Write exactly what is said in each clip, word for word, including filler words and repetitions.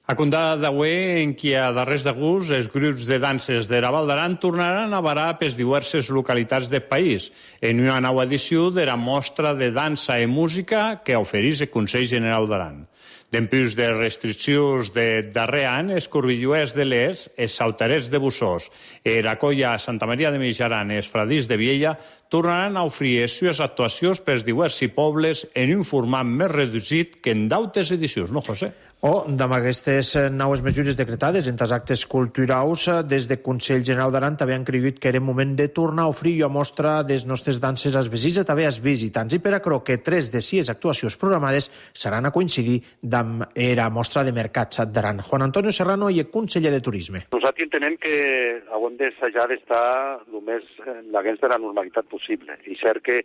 A condada d'aué, en qui a darrers d'agost els grups de danses de la Val d'Aran tornaran a varar per diverses localitats del país en una nova edició de la mostra de dansa i música que ofereix el Consell General d'Aran. Dempús de restriccions de darrer any, els corbilluers de l'Es, els sautarets de Bussós, i la colla Santa Maria de Mijaran i els fradís de Viella tornaran a oferir les seves actuacions per diversos pobles en un format més reduït que en d'altres edicions, no, José? O, amb aquestes noves mesures decretades entre els actes culturals, des del Consell General d'Aran també han cregut que era moment de tornar a oferir a mostra des nostres danses als vesins i també als visitants. I per a que tres de sis actuacions programades seran a coincidir amb la mostra de mercats d'Aran. Juan Antonio Serrano i el conseller de Turisme. Nosaltres entenem que haurem d'assajar d'estar el més en l'agents de la normalitat possible. I cert que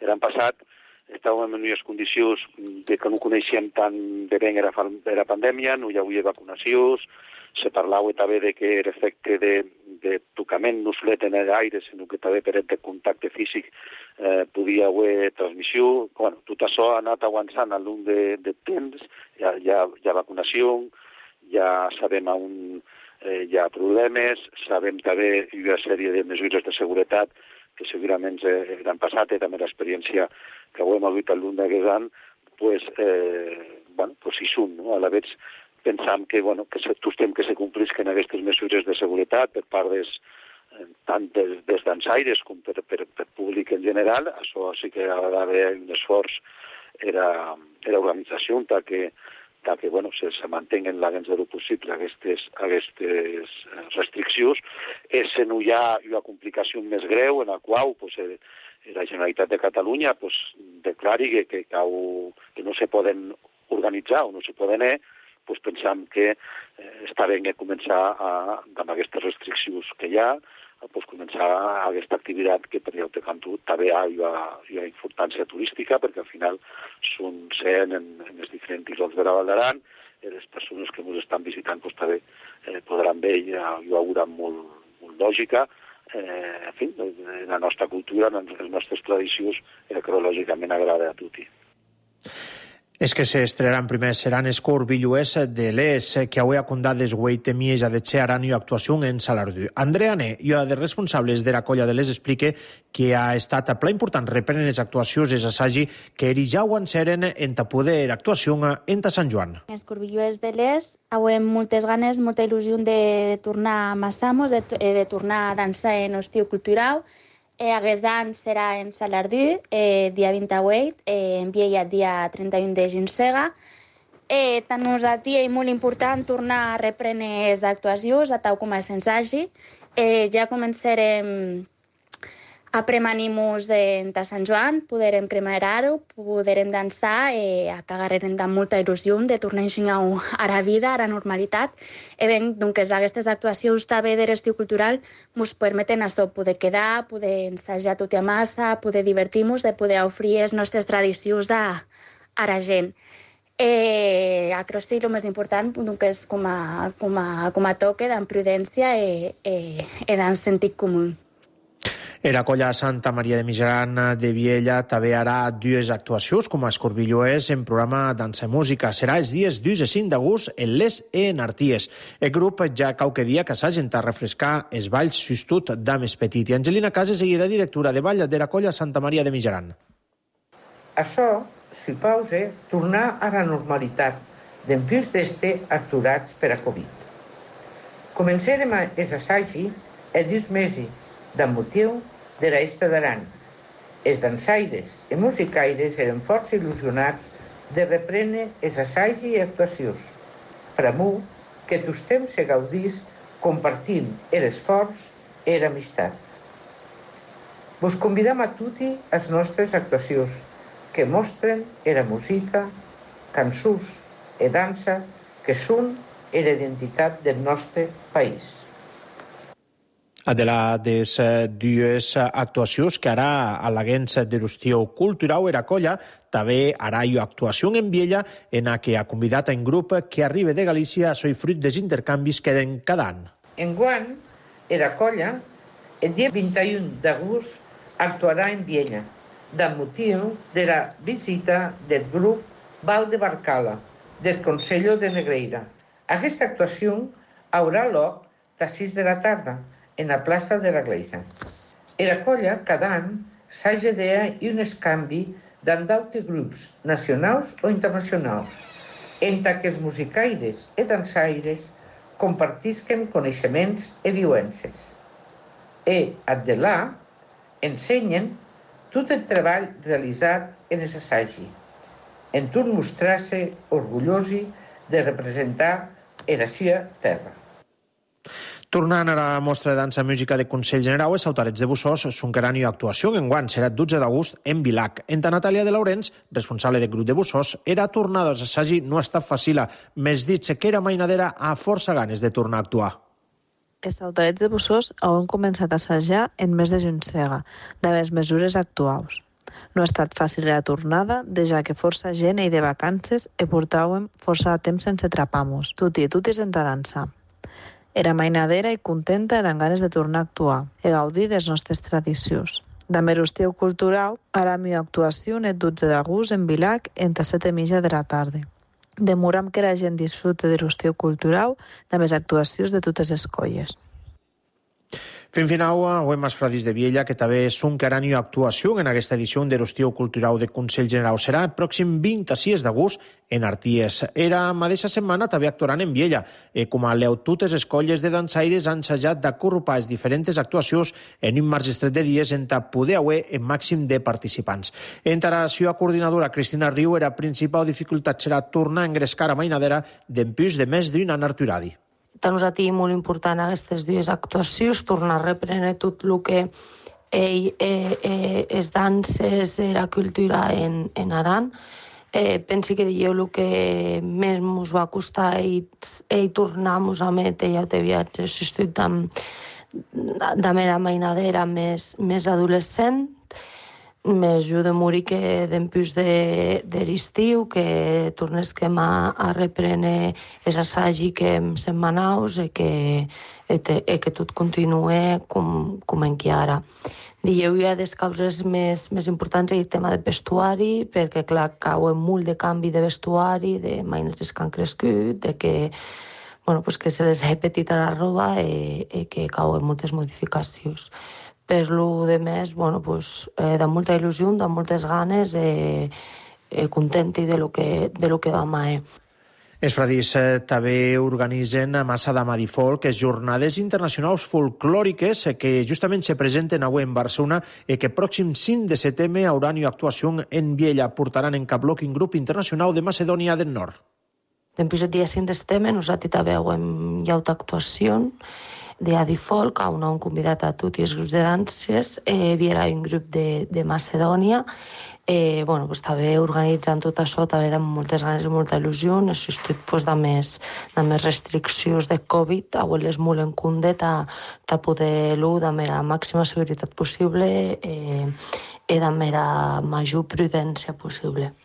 l'any passat estàvem en unes condicions de que no coneixíem tant de ben era la pandèmia, no hi havia vacunacions, se parlava també de que l'efecte de, de tocament no solet en l'aire, sinó que també per de contacte físic eh, podia haver transmissió. Bueno, tot això ha anat avançant al long de, de temps, hi ha, hi, ha, hi ha vacunació, ja sabem on eh, hi ha problemes, sabem també una sèrie de mesures de seguretat que segurament l'han passat i també l'experiència que ho hem hagut al lluny d'aquest any, pues, eh, bueno, pues hi són, no? A la vegada pensam que, bueno, que tostem que se complisquen aquestes mesures de seguretat per part des, tant des, des dansaires com per, per, per públic en general. Això sí que ha d'haver un esforç era, era organització que que bueno, se, se mantinguen la més del possible aquestes, aquestes restriccions. És si no hi ha una complicació més greu en la qual pues, la Generalitat de Catalunya pues, declari que, que, que no se poden organitzar o no se poden anar, pues, pensam que eh, està bé començar a, amb aquestes restriccions que hi ha, pues, començar aquesta activitat que per l'altre cantó també hi ha, hi ha importància turística, perquè al final són sent en, en els diferents llocs de la Val d'Aran, i les persones que ens estan visitant pues, també eh, podran veure, hi ha, hi haurà molt, molt lògica, eh, en fi, en la nostra cultura, en les nostres tradicions, eh, que lògicament agrada a tothom. És que s'estrenaran primer seran els corbilluers de l'Es, que avui ha condat les hueite mies a de Aran i actuació en Salardú. Andrea Ne, i una dels responsables de la colla de l'Es, explica que ha estat a pla important reprenen les actuacions des assagi que eri ja ho enceren en ta poder actuació en ta Sant Joan. Els corbilluers de l'Es avui hem moltes ganes, molta il·lusió de tornar a Massamos, de, de tornar a dansar en estiu cultural. Eh, aquest any serà en Salardú, eh, dia vint-i-vuit, eh, en Viella, dia trenta-u de Ginsega. Eh, tant nosaltres és molt important tornar a reprendre les actuacions, a tal com es ensagi. Eh, ja començarem a premanir-nos en Sant Joan, podrem cremar-ho, podrem dansar, eh, a cagarem amb molta il·lusió de tornar a ensenyar a la vida, a la normalitat. E ben, doncs, aquestes actuacions també de l'estiu cultural ens permeten això, poder quedar, poder ensajar tot a massa, poder divertir-nos, de poder oferir les nostres tradicions a, a la gent. Eh, a Crossi, el més important, doncs, com a, com a, com a toque, d'en prudència i, i, i d'en sentit comú. Era colla Santa Maria de Mijaran de Viella també harà dues actuacions com a escorbilloers en programa Dansa i Música. Serà els dies dos i cinc d'agost en Les e en Arties. El grup ja qualque dia que s'hagin a refrescar els balls sustut d'Ames Petit. I Angelina Cases seguirà directora de ball de la colla Santa Maria de Mijaran. Això, si pause, tornar a la normalitat d'empús d'este aturats per a Covid. Començarem els assagi el dos mesos d'en motiu de l'Esta d'Aran. Els dansaires i musicaires eren força il·lusionats de reprendre els assajos i actuacions. Per a mi, que tots temps se gaudís compartint l'esforç i l'amistat. Vos convidam a tutti a les nostres actuacions, que mostren la música, cançons i dansa que són la identitat del nostre país. De les dues actuacions que harà a l'Agents de l'Estiu Cultural era colla, també harà una actuació en Viella en la que ha convidat a un grup que arriba de Galícia a ser fruit dels intercanvis que den cada any. Enguany, la colla, el dia vint-i-u d'agost, actuarà en Viella, amb motiu de la visita del grup Val de Barcala, del Consell de Negreira. Aquesta actuació haurà lloc a les sis de la tarda en la plaça de la Gleisa. La colla cada any s'agedea i un escanvi d'en d'autres grups nacionals o internacionals, entre que els musicaires i dansaires compartisquen coneixements i viuences. I, de là, ensenyen tot el treball realitzat en els assajos, en tot mostrar-se orgullosi de representar la seva terra. Tornant a la mostra de dansa i música de Consell Generau, els Sautarets de Bussós soncaran i actuació enguany serà el dotze d'agost en Vilac. En Natàlia de Laurens, responsable del grup de Bussós, era tornada als assagi no ha estat fàcil, més dit que era mainadera a força ganes de tornar a actuar. Els Sautarets de Bussós han començat a assajar en mes de juny-sega, de les mesures actuals. No ha estat fàcil la tornada, ja que força gent i de vacances i portàvem força temps sense trapamos, tuti i tuti sense dansar. Era mainadera i contenta i amb ganes de tornar a actuar i gaudir de les nostres tradicions. També l'estiu cultural, ara la meva actuació el dotze d'agost en Vilac entre set i mitja de la tarda. Demoram que la gent disfrute de l'estiu cultural de les actuacions de totes les colles. Fent final, avem els Fradis de Viella, que també soncaran i actuació en aquesta edició de l'estiu cultural de Consell Generau. Serà el pròxim vint-i-sis d'agost en Arties. Era la mateixa setmana també actuaran en Viella. Eh, com a leu, totes les colles de dansaires han ensajat d'acorrupar les diferents actuacions en un marge estret de dies en poder haver el màxim de participants. Entre la seva coordinadora, Cristina Riu, la principal dificultat serà tornar a engrescar a mainadera d'empús de més d'un an arturadi. Per nosaltres és molt important aquestes dues actuacions, tornar a reprendre tot el que ell, eh, eh, es danses, la cultura en, en Aran. Eh, pensi que dieu el que més ens va costar ell, ell tornar-nos a metre ja de viatges, estic amb de mera mainadera més, més adolescent, més jo de morir que d'empús de, de l'estiu, que tornesquem a, a reprendre els assajos que hem setmanaus i que, i que tot continue com, com en que ara. Dieu ja les causes més, més importants és el tema de vestuari, perquè clar, cau molt de canvi de vestuari, de maines que han crescut, de que, bueno, pues que se les ha petit a la roba i, i que cauen moltes modificacions. Per lo de més, bueno, pues, eh, de molta il·lusió, de moltes ganes, eh, eh, contenti de lo que, de lo que vam a. Eh. Els Fradis eh, també organitzen a Massa de Madifolk les jornades internacionals folclòriques que justament se presenten avui en Barcelona i que pròxim cinc de setembre hauran una actuació en Viella. Portaran en cap bloc un grup internacional de Macedònia del Nord. Després el dia cinc de setembre nosaltres també hem hi ha una actuació de Adifolk, on hem convidat a tots els grups de danses, eh, hi ha un grup de, de Macedònia, eh, bueno, pues, també organitzant tot això, també amb moltes ganes i molta il·lusió, necessitat pues, de, més, de més restriccions de Covid, avui-les molt en compte, de poder-lo de la màxima seguretat possible eh, i de la major prudència possible.